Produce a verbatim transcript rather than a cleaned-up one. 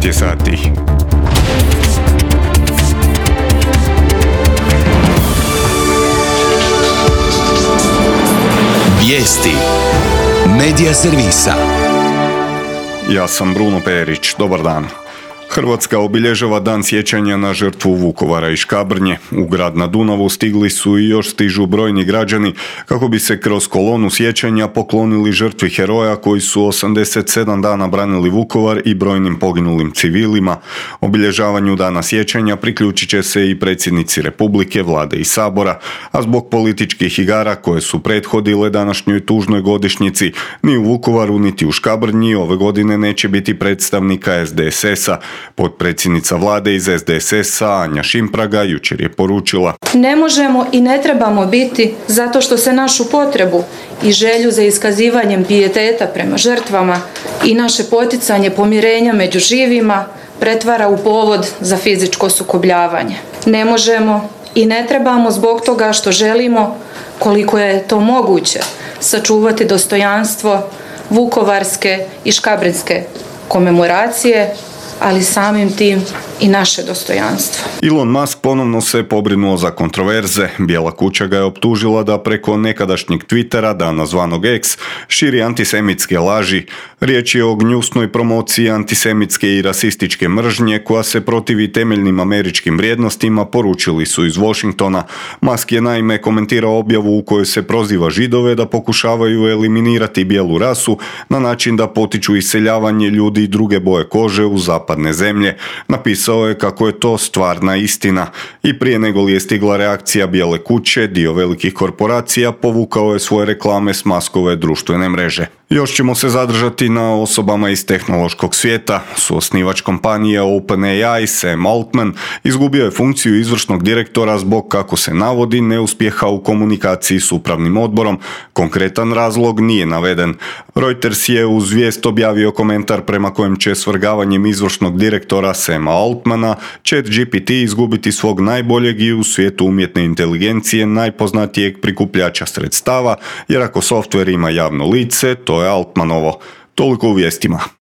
je sati. Vijesti Medija servisa. Ja sam Bruno Perić, dobar dan. Hrvatska obilježava dan sjećanja na žrtvu Vukovara i Škabrnje. U grad na Dunavu stigli su i još stižu brojni građani kako bi se kroz kolonu sjećanja poklonili žrtvi heroja koji su osamdeset sedam dana branili Vukovar i brojnim poginulim civilima. Obilježavanju dana sjećanja priključit će se i predsjednici Republike, Vlade i Sabora, a zbog političkih igara koje su prethodile današnjoj tužnoj godišnjici, ni u Vukovaru niti u Škabrnji ove godine neće biti predstavnika es de es es-a. Potpredsjednica Vlade iz es de es es-a Anja Šimpraga jučer je poručila: Ne možemo i ne trebamo biti zato što se našu potrebu i želju za iskazivanjem pijeteta prema žrtvama i naše poticanje pomirenja među živima pretvara u povod za fizičko sukobljavanje. Ne možemo i ne trebamo zbog toga što želimo, koliko je to moguće, sačuvati dostojanstvo vukovarske i škabrnjske komemoracije, ali samim tim i naše dostojanstvo. Elon Musk ponovno se pobrinuo za kontroverze. Bijela kuća ga je optužila da preko nekadašnjeg Twittera, danas zvanog X, širi antisemitske laži. Riječ je o gnjusnoj promociji antisemitske i rasističke mržnje koja se protivi temeljnim američkim vrijednostima, poručili su iz Washingtona. Musk je naime komentirao objavu u kojoj se proziva Židove da pokušavaju eliminirati bijelu rasu na način da potiču iseljavanje ljudi i druge boje kože u zapadne zemlje. Napisao je kako je to stvarna istina. I prije nego li je stigla reakcija Bijele kuće, dio velikih korporacija povukao je svoje reklame s Muskove društvene mreže. Još ćemo se zadržati na osobama iz tehnološkog svijeta. Suosnivač kompanije OpenAI Sam Altman izgubio je funkciju izvršnog direktora zbog, kako se navodi, neuspjeha u komunikaciji s upravnim odborom. Konkretan razlog nije naveden. Reuters je uz vijest objavio komentar prema kojem će svrgavanjem izvršnog direktora Sama Altmana ChatGPT izgubiti svog najboljeg i u svijetu umjetne inteligencije najpoznatijeg prikupljača sredstava, jer ako softver ima javno lice, to je Altmanovo. Toliko u vijestima.